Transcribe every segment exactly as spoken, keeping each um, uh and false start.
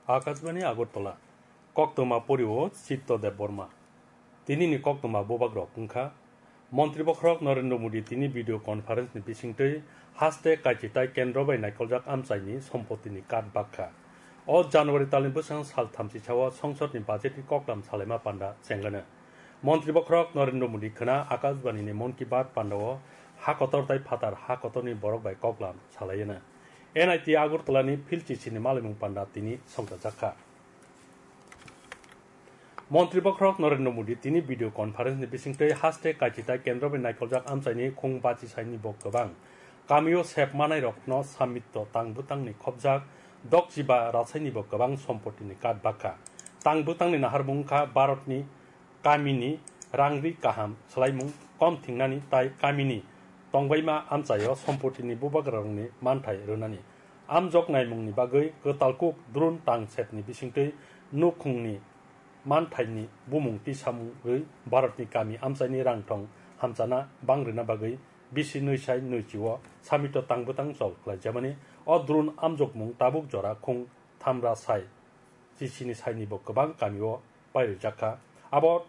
Akashbani Agartala, koktwma poriwo Chitto Debbarma. Tinini koktwma bubagrok wngkha, Montri bokhorok Narendra Modi tini video conference ni bisingtwi haste kaichi tai kendro bai naikoljak amchaini sompotini kat bakha. O January talni bwskango sal thamchi sao songsodni budgetni koklam salaima panda chengano. Montri bokhorok Narendra Modi khwna Akashbani ni Mon Ki Baat pandao ha kotor tai phatar ha kotorni borok bai koklam salaiyano. N I T Agartala ni Phil Chichini malaimung panda tini songchajakha. Montri bokhorok Narendra Modi tini video conference ni bisingtwi haste kaichi tai kendro bai naikoljak amchaini khung bachi saini bo kwbang. Kamio sep manairokno samito tang bwtangni khobjak dokchiba rasaini bo kwbang sompotini kat bakha. Tang bwtangni naharmung wngkha Bharatni kamini rangri kaham swlaimung kom thingnani tai kamini tongbaima amchaio sompotini bubagrarokni manthai rwnani. Amjok naimungni bagwi kwtal kuk drone tang sepni bisingtwi nukhungni manthaini bumung tisamung rwi Bharatni kami amchaini rangthong hamchana bang rwna bagwi bisi nwi sai nwi chio samito tang bwtang chol khlaijamani. O drone amjokmung tabuk jora khung thamra sai chichini saini bo kwbang kamio pairijak kha. Abo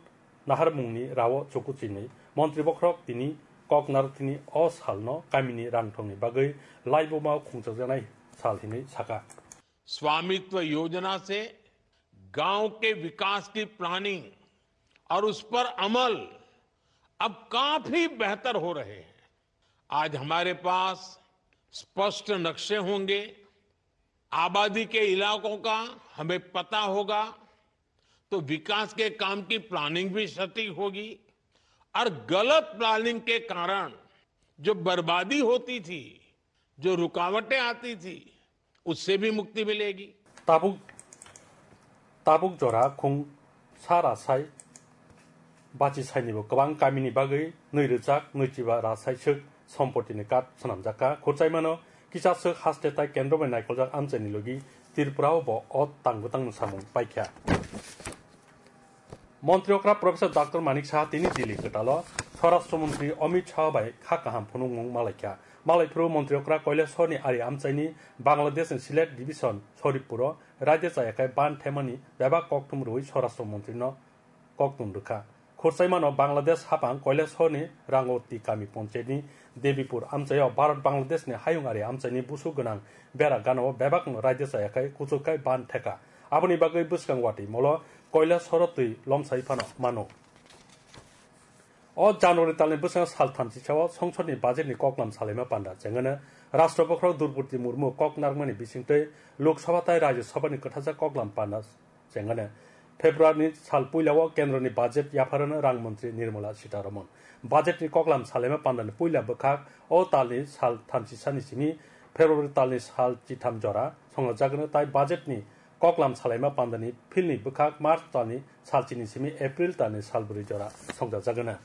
naharmungni rao chukuchini Montri bokhorok tini koknarthini o salno kamini rangthongni bagwi laibuma khungchakjaknai sal hinwi saka. स्वामित्व योजना से गांव के विकास की प्लानिंग और उस पर अमल अब काफी बेहतर हो रहे हैं। आज हमारे पास स्पष्ट नक्शे होंगे, आबादी के इलाकों का हमें पता होगा, तो विकास के काम की प्लानिंग भी सटीक होगी और गलत प्लानिंग के कारण जो बर्बादी होती थी, जो रुकावटें आती थी, उससे भी मुक्ति मिलेगी। Tabuk tabuk jora khung sara sai bachi sainibo kwbang kamini bagwi nwi rwchak nwichiba ra saiswk sompotini kat swnamjakha. Khurchaimano kisa swk haste tai kendro bai naikoljak amchaini logi Tripura o bo o tang bwtangno samung paikha. Montri okra Professor Doctor Manik Saha tini Delhi kwtalo Swarashtra Montri Amit Shah bai kha kaham phunukmung malaikha. Malaiphuru Montri okra Kailash Saha ni ari amchaini Bangladesh ni Sylhet Division Saripur o raida chayakhai ban themani bebak kokthum rwui Swarashtra Montri no kokthum rwkha. Khurchaimano Bangladesh hapang Kailash Saha ni Rangoti kami ponchayat ni Debipur amchaio Bharat Bangladesh ni hayung ari amchaini busu gwnang bera gana o bebak no raida chayakhai kuchukkhai ban theka. Aboni bagwi bwskang watwi molo Kailash Saha twi lomsai phano mano. O January talni bwskango sal thamchi sao songsodni budgetni koklam salaima panda chengano Rashtra bokhorok Droupadi Murmu kok narwkmani bisingtwi Lok Sabha tai Rajya Sabhani kwthajak koklam panda chengano. Februaryni sal puilao kendroni budget yapharano rang montri Nirmala Sitharaman. Budgetni koklam salaima pandani puila bwkhak o talni sal thamchi sani simi February talni sal chitham jora songjakgwno tai budgetni koklam salaima pandani philni bwkhak March talni salchini simi April talni salbwrwi jora songjajagwna.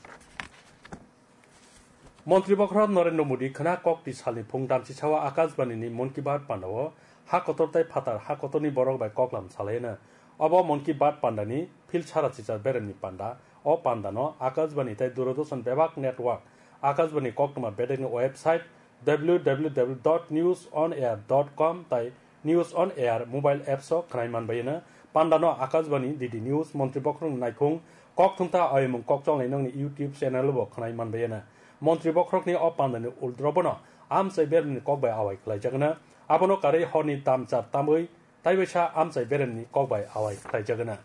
Montri bokhorok Narendra Modi khwna kokti salni phung damchi sao Akashbani ni Mon Ki Baat pandao ha kotor tai phatar ha kotorni borok bai koklam salaina. Obo Mon Ki Baat pandani phil sara chichar beremni panda. O pandano Akashbani tai Doordarshan bebak network, Akashbani koktwma bedekni website, W W W dot news on air dot com tai News on Air mobile apps o khwnai manbaiyano. Pandano Akashbani, D D News, Montri bokhorokni naikhung, kok thumta ayomung kokcholnai nokni YouTube channel o bo khwnai manbaiyano. Montri bokhorokni o pandani uldrobono amchai bermni kok bai awai khlaijagwna. Abono karwi horni damchar tamwi taibaisa amchai beremni kok bai awai khlaijagwna.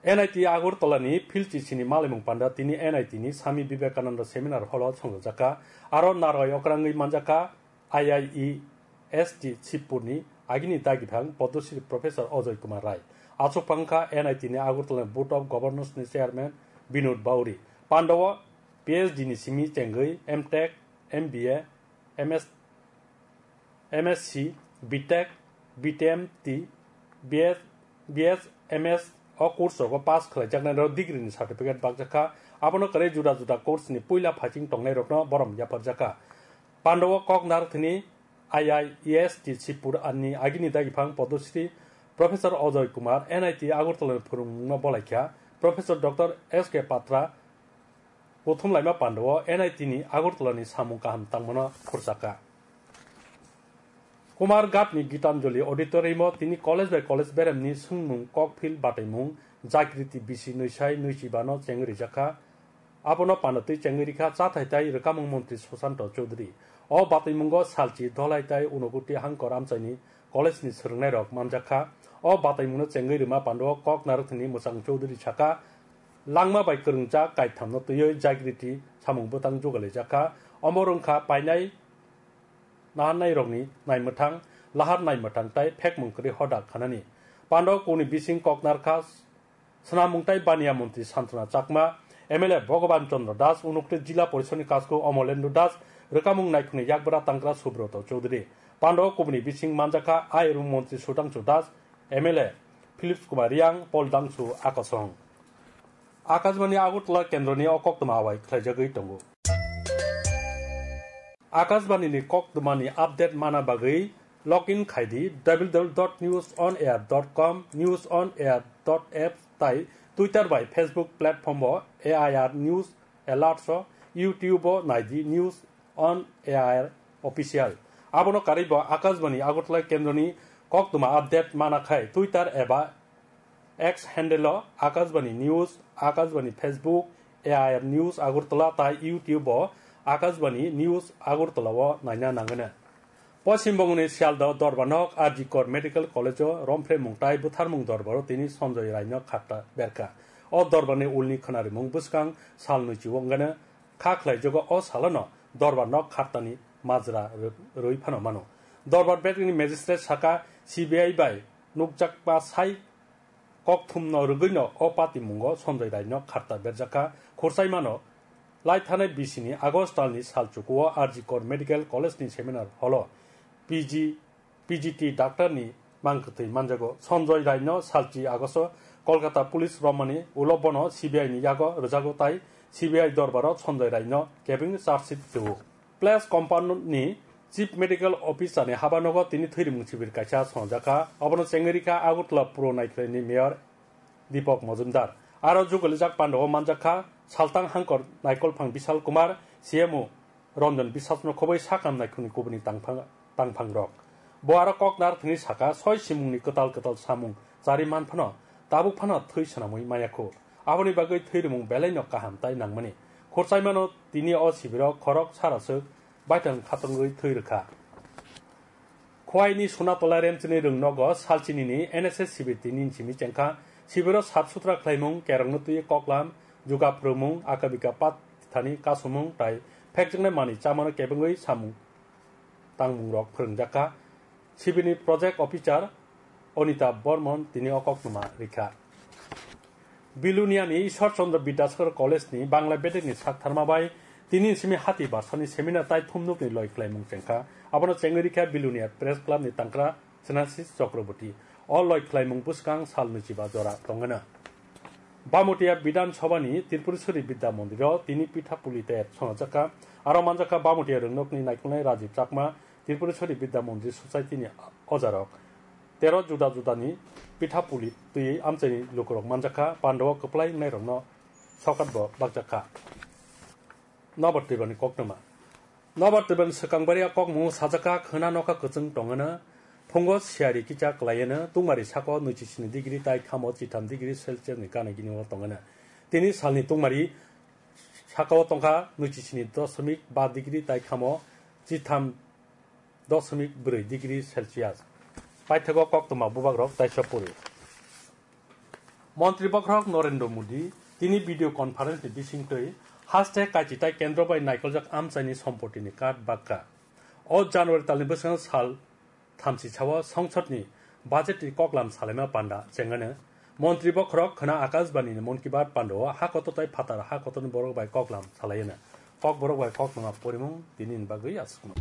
N I T Agartala ni Phil Chichini malaimung panda tini N I T ni Swami Vivekananda Seminar Hall o songjakha. Aro narwai okrangwi manjakha I I E S T Sibpur ni agini dagiphang Padma Shri Professor Ajoy Kumar Rai. Achuk phangkha N I T ni Agartala ni Board of Governors ni Chairman Binod Bauri. Pandao P H D ni simi chengwi M Tech, M B A, M S, M S C, B Tech, B T M T, B S, B S M S o course rogo pass khlaijaknai rok degree ni certificate bakjakha. Abono kwrwi juda juda course ni puila phaiching tongnai rokno borom yapharjakha. Pandao kok narwkthini I I E S T Sibpur ni agini dagiphang Padma Shri Professor Ajoy Kumar, N I T Agartala ni phwrwngmungno bolaikha. Professor Doctor S K Patra, Kuthum laima pandao N I T ni Agartala ni samung kaham tangmano khurchakha. Kumar Ghat ni Gitanjali Auditorium o tini college bai college beremni swngmung kokphil bataimung Jagriti bisi nwi sai nwi chiba no chengwi rijakha. Abono pandatwi chengwi rikha chathai tai rwkamung montri Sushanta Chowdhury. O bataimungo salchi dholai tai Unakoti Hangkor amchaini college ni swrwngnairok manjakha. O bataimungno chengwi rwma pandao kok narwkthani Mwchang Chowdhury sakha, langma bai kwrwngjak kaithamno twiwi Jagriti samung bwtang jugalijakha. Omo wngkha painai naharnairokni naimwthang, lahar naimwthang tai phekmung kwrwi hoda khanani. Pandao kuni bising kok narwkha Swnamung tai Baniya Montri Santona Chakma, M L A Bhagaban Chandra Das, Unakoti Jila Porishodni Kasku Omolendra Das, Rwkamung Naikhungni Yakbra Tangkra Subroto Chowdhury. Pandao kubuni bising manjakha Ayurung Montri Sudhangshu Das, M L A Philip Kumar Reang, Paul Dangsu Akosong. Akashbani Agartala kendroni o koktwma awai khlaijagwi tongo. Akashbani ni koktwmani update mana bagwi log in khai di w w w dot news on air dot com, news on air dot app tai Twitter bai Facebook platform o A I R News Alerts o, YouTube o nai di News on A I R Official. Abono karwi bo Akashbani Agartala kendroni koktwma update mana khai Twitter eba X handle o Akashbani News, Akashbani Facebook, A I R News Agartala tai YouTube o Akashbani News Agartala o naina nangwino. Poschim Bongoni Sialda o Dorbarnok R G Kar Medical College o romphre mung tai bwtharmung dorbar o tini Sanjoy Rai no khatta berkha. O dorbarni ulni khwnarimung bwskang sal nwichi o wngano kha khlaijago, o salono Dorbarnok khattani majra rw-, rwi phano mano. Dorbar bedekni magistrate sakha C B I bai nukjakma sai kokthumno rwgwino o patimungo Sanjoy Raino kharta berjakha. Khursaimano laithanai bisini August talni salchukuo R G Kar Medical College ni seminar hall o P G, P G T doctor ni mangkwthwi manjago. Sanjoy Raino salchi August o Kolkata police romani ulo bono C B I ni yago rwjago tai C B I dorbaro Sanjoy Raino kebengwi charge sheet rwo. Place Compound ni Chief Medical Officer ni habanogo tini thwirimung sibir kaisa swnamjakha. Obono chengwi rikha Agartala Puro Naikhlai ni Mayor Deepak Majumdar. Aro jugalijak pandao manjakha Saltang Hangkor Naikolphang Bishal Kumar, C M O Ranjan Biswas no khoboi sakam naikhungni kubuni tangphang, tangphangrok. Bo aro kok narwkthwngwi sakha, soi simungni kwtal kwtal samung chari man phano tabuk phano thwi swnamwi maya khu. Aboni bagwi thwirimung belaino kaham tai nangmani. Khursaimano tini o sibiro khorok saraswk baithang khatungwi thwi rwkha. Khwaini Sunatola Remchini rwngnogo salchinini N S S sibir tini simi chengkha. Sibiro sap sutra khlaimung, kerongno twi koklam, juga phrwngmung, akabika pat thani kasumung tai phekjaknai manwi chamano kebengwi samung tangmungrok phrwngjakha. Sibini project officer Onita Bormon tini o koktwma rikha. Biluniani Ishwar Chandra Bidyasagar College ni Bangla bedekni saktharma bai tini simi hati barsani seminar tai thumnukni loi khlaimung chengkha. Abono chengwi rikha Bilunia Press Club ni tangkra Sinasis Chakraborty. O loi khlaimung bwskang sal nwichiba jora tongwino. Bamotia Bidhan Sabha ni Tripureshwari Bidya Mondiro tini pitha puli tayar songjakha. Aro manjakha Bamotia rwngnokni naikolnai Rajiv Chakma, Tripureshwari Bidya Mondri Society ni ojarok. Tero juda judani pitha puli twi amchaini lukurok manjakha, pandao kwplai wngnairokno sokat bo bakjakha. Nobar Tribani koktwma. Nobar Tribani swkang baria kokmung sajakha khwna nokha kwchwng tongwino, phungo siyari kicha kwlaiwino, tungmari sako nwichi sini degree tai khamo chitham degree Celsius ni gana gini o tongwino. Tini salni tungmari sakao tongkha nwichi sini dosmik ba degree tai khamo chitham dosmik brwi degree Celsius. Paithago koktwma bubagrok taisa puri. Montri bokhorok Narendra Modi tini video conference ni bisingtwi haste kachi tai kendro bai naikoljak amchaini sompotini card bakha. O January talni bwskango sal thamchi sao songsodni budget ni koklam salaima panda chengano. Montri bokhorok khwna Akashbani ni Mann Ki Baat pandao ha kotor tai phatar ha kotorni borok bai koklam salaiyano. Kokborok bai koktwma porimung tini ni bagwi aswkno.